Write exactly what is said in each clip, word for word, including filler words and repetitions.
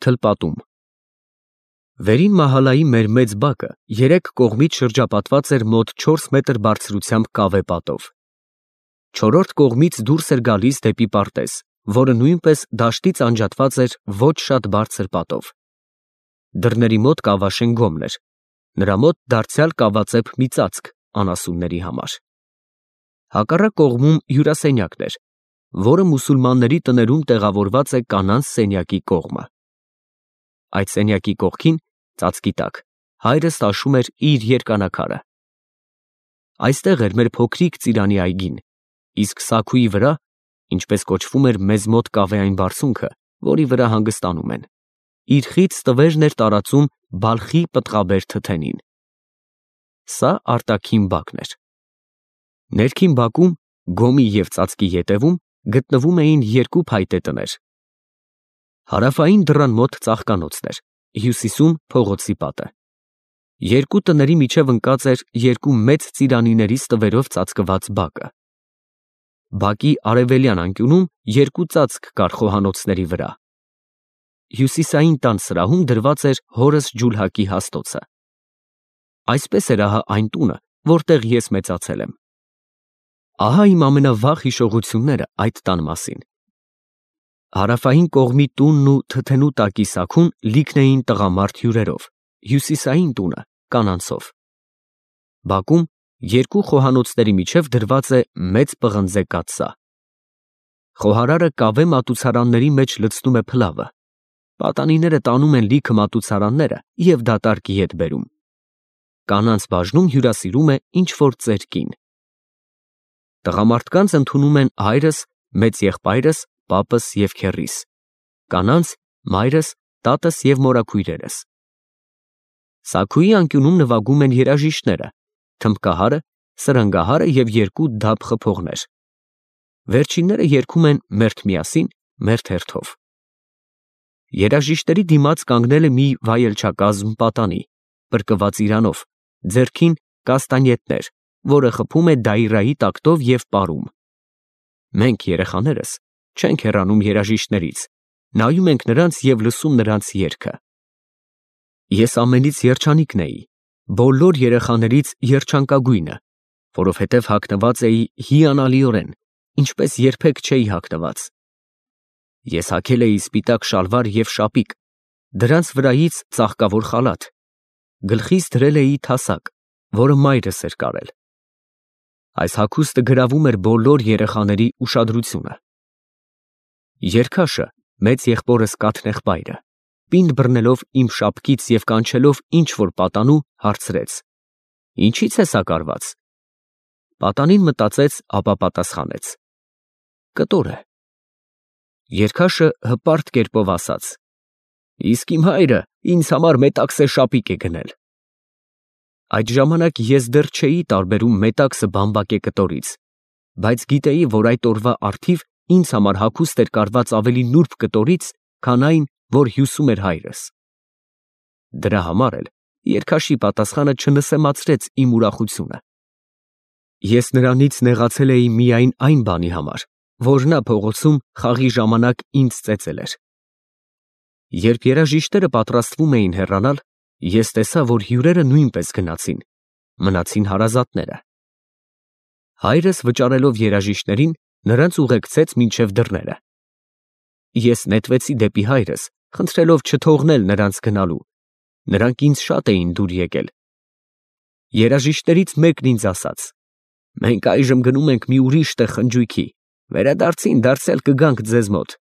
Թլպատում Վերին մահալայի մեր մեծ բակը երեք կողմից շրջապատված էր մոտ չորս մետր բարձրությամբ կավե պատով։ Չորրորդ կողմից դուրս էր գալիս դեպի պարտեզ, որը նույնպես դաշտից անջատված էր ոչ շատ բարձր պատով։ Դռների մոտ կավաշեն գոմն էր, նրա մոտ դարձյալ կավածեպ մի ծածկ անասունների համար։ Հակառակ կողմում հյուրասենյակն էր, որը մուսուլմանների տներում տեղավորված է կանանց սենյակի կողմը։ Այդ սենյակի կողքին, ծածկի տակ, հայրս տաշում էր իր երկանակարը։ Այստեղ էր մեր փոքրիկ ծիրանի այգին, իսկ սաքուի վրա, ինչպես կոչվում էր մեզ մոտ կավեային բարձունքը, որի վրա հանգստանում են, իր խիծ տվերն էր տարածում բալխի պտղաբեր թթենին։ Սա արտաքին բակն էր։ Ներքին բակում, գոմի և ծածկի ետևում, գտնվում էին երկու փայտե տներ։ Հարավային դռան մոտ ծաղկանոցն էր, հյուսիսում փողոցի պատը։ Երկու տների միջև ընկած էր երկու մեծ ծիրանիներից տվերով ծածկված բակը։ Բակի արևելյան անկյունում երկու ծածկ կար խոհանոցների վրա։ Հյուսիսային տան սրահում դրված էր հորս ջուլհակի հաստոցը։ Այսպես էր ահա այն տունը, որտեղ ես մեծացել եմ։ Ահա իմ ամենավաղ հիշողությունները այդ տան մասին։ Հարավային կողմի տունն ու թթենու տակի սաքուն լիքն էին տղամարդ հյուրերով, հյուսիսային տունը կանանցով։ Բակում երկու խոհանոցների միջև դրված է մեծ պղնձե կաթսա։ Խոհարարը կավե մատուցարանների մեջ լցնում է փլավը։ Պատանիները տանում են լիքը մատուցարանները և դատարկ ետ բերում։ Կանանց բաժնում հյուրասիրում է ինչ-որ ծեր կին։ Տղամարդկանց ընդունում են հայրս, մեծ եղբայրս, պապս և քեռիս, կանանց մայրս, տատս և մորաքույրերս։ Սաքուի անկյունում նվագում են երաժիշտները, թմբկահարը, սրընգահարը և երկու դափ խփողներ։ Վերջինները երգում են «Մերթ միասին, մերթ հերթով»։ Երաժիշտների դիմաց կանգնել է մի վայելչակազմ պատանի, պրկված իրանով, ձեռքին կաստանյետներ, որը խփում է դայրայի տակտով և պարում։ Մենք, երեխաներս, չենք հեռանում երաժիշտներից, նայում ենք նրանց և լսում նրանց երգը։ Ես ամենից երջանիկն էի, բոլոր երեխաներից երջանկագույնը, որովհետև հագնված էի հիանալիորեն, ինչպես երբեք չէի հագնված։ Ես հագել էի սպիտակ շալվար և շապիկ, դրանց վրայից ծաղկավոր խալաթ, գլխիս դրել էի թասակ, որը մայրս էր կարել։ Այս հագուստը գրավում էր բոլոր երեխաների ուշադրությունը։ Երգաշը, մեծ եղբորս Կաթնեղբայրը, պինդ բռնելով իմ շապկից և կանչելով ինչ-որ պատանու, հարցրեց. «Ինչի՞ց է սա կարված»։ Պատանին մտածեց, ապա պատասխանեց. «Կտոր է»։ Երգաշը հպարտ կերպով ասաց. «Իսկ իմ հայրը ինձ համար մետաքսե շապիկ է գնել»։ Այդ ժամանակ ես դեռ չէի տարբերում մետաքսը բամբակե կտորից, բայց գիտեի, որ այդ օրվա առթիվ ինձ համար հագուստ էր կարված ավելի նուրբ կտորից, քան այն, որ հյուսում էր հայրս։ Դրա համար էլ երգաշի պատասխանը չնսեմացրեց իմ ուրախությունը։ Ես նրանից նեղացել էի միայն այն բանի համար, որ նա փողոցում խաղի ժամանակ ինձ ծեծել էր։ Երբ երաժիշտները պատրաստվում էին հեռանալ, ես տեսա, որ հյուրերը նույնպես գնացին, մնացին հարազատները։ Հայրս վճարելով երաժիշտներին, նրանց ուղեկցեց մինչև դռները։ Ես նետվեցի դեպի հայրս, խնդրելով չթողնել նրանց գնալու, նրանք ինձ շատ էին դուր եկել։ Երաժիշտներից մեկն ինձ ասաց. «Մենք այժմ գնում ենք մի ուրիշ տեղ խնջույքի, վերադարձին դարձյալ կգանք ձեզ մոտ»։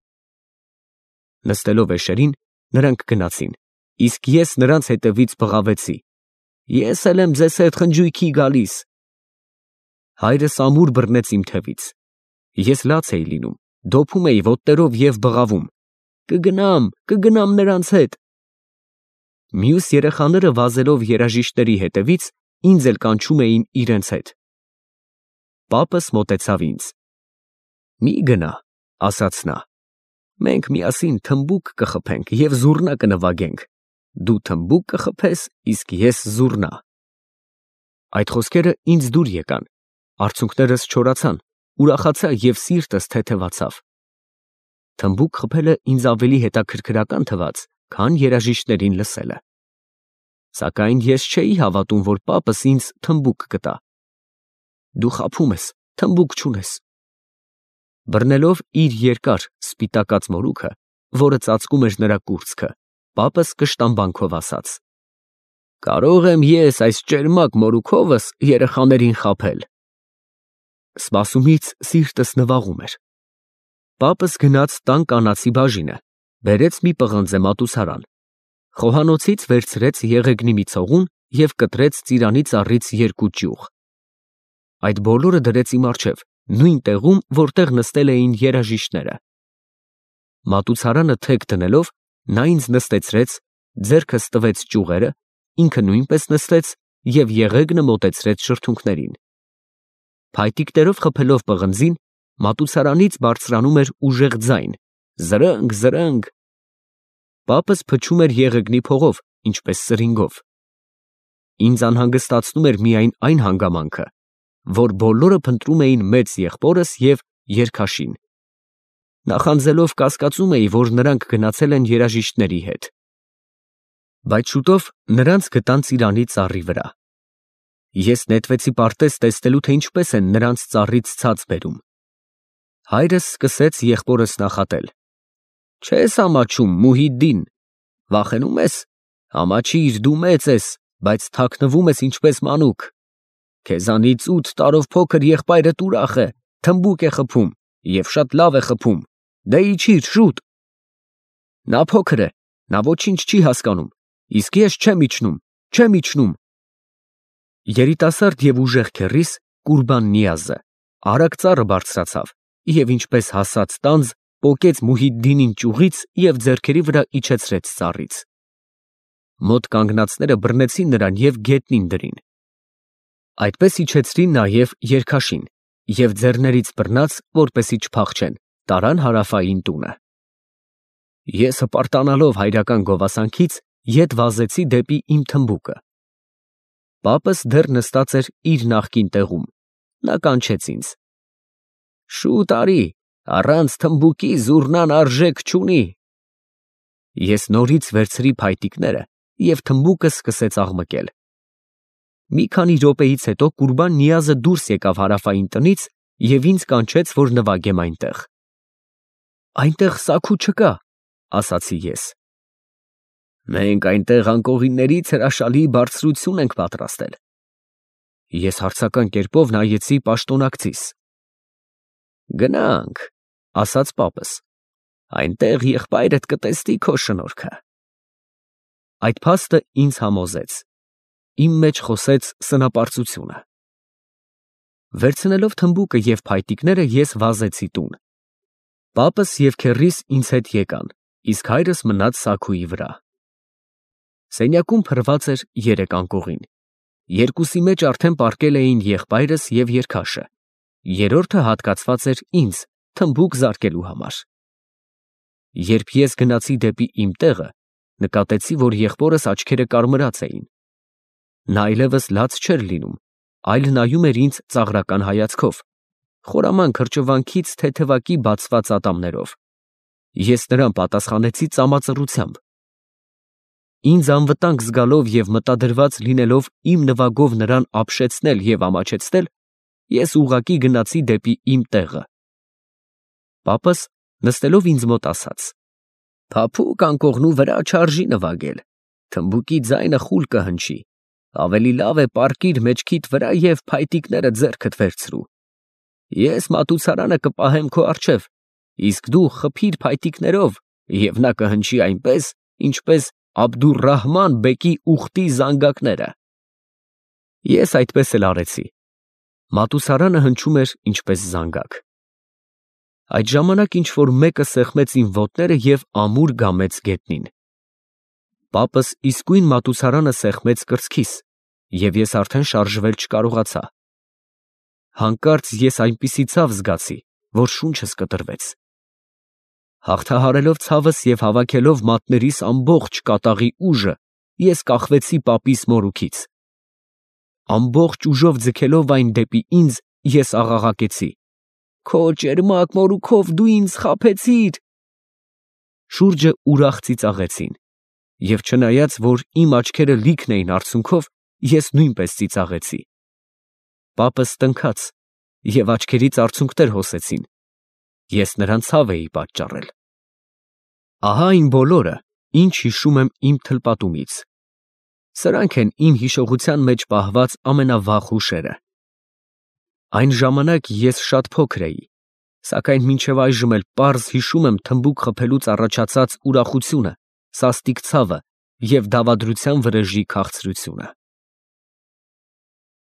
Նստելով էշերին, նրանք գնացին, իսկ ես նրանց հետևից բղավեցի. «Ես էլ եմ ձեզ հետ խնջույքի գալիս»։ Հայրս ամուր բռնեց իմ թևից։ Ես լաց էի լինում, դոփում էի ոտներով և բղավում. «Կգնամ, կգնամ նրանց հետ»։ Մյուս երեխաները վազելով երաժիշտների հետևից, ինձ էլ կանչում էին իրենց հետ։ Պապս մոտեցավ ինձ. «Մի գնա», ասաց նա, «մենք միասին թմբուկ կխփենք և զուռնա կնվագենք, դու թմբուկ կխփես, իսկ ես զուռնա»։ Այդ խոսքերը ինձ դուր եկան, արցունքներս չորացան, ուրախացա և սիրտս թեթևացավ։ Թմբուկ խփելը ինձ ավելի հետաքրքրական թվաց, քան երաժիշտներին լսելը։ Սակայն ես չէի հավատում, որ պապս ինձ թմբուկ կտա։ Դու խաբում ես, թմբուկ չունես։ Բռնելով իր երկար սպիտակած մորուքը, որը ծածկում էր նրա կուրծքը, պապս կշտամբանքով ասաց. Կարող եմ ես այս ճերմակ մորուքովս երեխաներին խաբել։ Սպասումից սիրտս նվաղում էր։ Պապս գնաց տան կանացի բաժինը, բերեց մի պղնձե մատուցարան, խոհանոցից վերցրեց եղեգնի մի ցողուն և կտրեց ծիրանի ծառից երկու ճյուղ։ Այդ բոլորը դրեց իմ առջև, նույն տեղում, որտեղ նստել էին երաժիշտները։ Մատուցարանը թեք դնելով, նա ինձ նստեցրեց, ձեռքս տվեց ճյուղերը, ինքը նույնպես նստեց և եղեգնը մոտեցրեց շրթունքներին։ Փայտիկներով խփելով պղնձին, մատուցարանից բարձրանում էր ուժեղ ձայն. զրնգ, զրնգ։ Պապս փչում էր եղեգնի փողով, ինչպես սրինգով։ Ինձ անհանգստացնում էր միայն այն հանգամանքը, որ բոլորը փնտրում էին մեծ եղբորս և երգաշին։ Նախանձելով կասկածում էի, որ նրանք գնացել են երաժիշտների հետ։ Բայց շուտով նրանց գտան ծիրանի ծառի վրա։ Ես նետվեցի պարտեզ տեսնելու, թե ինչպես են նրանց ծառից ցած բերում։ Հայրս սկսեց եղբորս նախատել. Չես ամաչում, Մուհիդդին, վախենում ես, ամաչիր, դու մեծ ես, բայց թաքնվում ես ինչպես մանուկ։ Քեզանից ութ տարով փոքր եղբայրդ ուրախ է, թմբուկ է խփում և շատ լավ է խփում, դե իջիր շուտ։ Նա փոքր է, նա ոչինչ չի հասկանում, իսկ ես չեմ իջնում, չեմ իջնում։ Երիտասարդ և ուժեղ քեռիս Կուրբան Նիազը արագ ծառը բարձրացավ և ինչպես հասած տանձ պոկեց Մուհիդդինին ճյուղից և ձեռքերի վրա իջեցրեց ծառից։ Մոտ կանգնածները բռնեցին նրան և գետնին դրին։ Այդպես իջեցրին նաև երգաշին և ձեռներից բռնած, որպեսզի չփախչեն, տարան հարավային տունը։ Ես հպարտանալով հայրական գովասանքից, ետ վազեցի դեպի իմ թմբուկը։ Պապս դեռ նստած էր իր նախկին տեղում, նա կանչեց ինձ. Շուտ արի, առանց թմբուկի զուռնան արժեք չունի։ Ես նորից վերցրի փայտիկները և թմբուկը սկսեց աղմկել։ Մի քանի րոպեից հետո Կուրբան Նիազը դուրս եկավ հարավային տնից և ինձ կանչեց, որ նվագեմ այնտեղ։ Այնտեղ սաքու չկա, ասացի ես։ Մենք այնտեղ անկողիններից հրաշալի բարձրություն ենք պատրաստել։ Ես հարցական կերպով նայեցի պաշտոնակցիս։ Գնանք, ասաց պապս, այնտեղ եղբայրդ կտեսնի քո շնորհքը։ Այդ փաստը ինձ համոզեց, իմ մեջ խոսեց սնապարծությունը։ Վերցնելով թմբուկը և փայտիկները, ես վազեցի տուն։ Պապս և քեռիս ինձ հետ եկան, իսկ հայրս մնաց սաքուի վրա։ Սենյակում փռված էր երեք անկողին։ Երկուսի մեջ արդեն պառկել էին եղբայրս և երգաշը, երրորդը հատկացված էր ինձ թմբուկ զարկելու համար։ Երբ ես գնացի դեպի իմ տեղը, նկատեցի, որ եղբորս աչքերը կարմրած էին։ Նա այլևս լաց չէր լինում, այլ նայում էր ինձ ծաղրական հայացքով, խորաման քրճվանքից թեթևակի բացված ատամներով։ Ես նրան պատասխանեցի ծամածռությամբ։ Ինձ անվտանգ զգալով և մտադրված լինելով իմ նվագով նրան ապշեցնել և ամաչեցնել, ես ուղղակի գնացի դեպի իմ տեղը։ Պապս նստելով ինձ մոտ ասաց. Փափուկ անկողնու վրա չարժի նվագել, թմբուկի ձայնը խուլ կհնչի, ավելի լավ է պառկիր մեջքիդ վրա և փայտիկները ձեռքդ վերցրու։ Ես մատուցարանը կպահեմ քո առջև, իսկ դու խփիր փայտիկներով և նա կհնչի այնպես, ինչպես Աբդուռահման բեկի ուխտի զանգակները։ Ես այդպես էլ արեցի։ Մատուցարանը հնչում էր ինչպես զանգակ։ Այդ ժամանակ ինչ֊որ մեկը սեղմեց իմ ոտները և ամուր գամեց գետնին։ Պապս իսկույն մատուցարանը սեղմեց կրծքիս, և ես արդեն շարժվել չկարողացա։ Հանկարծ ես այնպիսի ցավ զգացի, որ շունչս կտրվեց։ Հաղթահարելով ցավս և հավաքելով մատներիս ամբողջ կատաղի ուժը, ես կախվեցի պապիս մորուքից։ Ամբողջ ուժով ձգելով այն դեպի ինձ, ես աղաղակեցի. Քո ճերմակ մորուքով դու ինձ խաբեցիր։ Շուրջը ուրախ ծիծաղեցին, Եվ չնայած, որ իմ աչքերը լիքն էին արցունքով, ես նույնպես ծիծաղեցի։ Պապս տնքաց, և աչքերից արցունքներ հոսեցին, ես նրան ցավ էի պատճառել։ Ահա այն բոլորը, ինչ հիշում եմ իմ թլպատումից։ Սրանք են իմ հիշողության մեջ պահված ամենավաղ հուշերը։ Այն ժամանակ ես շատ փոքր էի, սակայն մինչև այժմ էլ պարզ հիշում եմ թմբուկ խփելուց առաջացած ուրախությունը, սաստիկ ցավը և դավադրության վրեժի քաղցրությունը։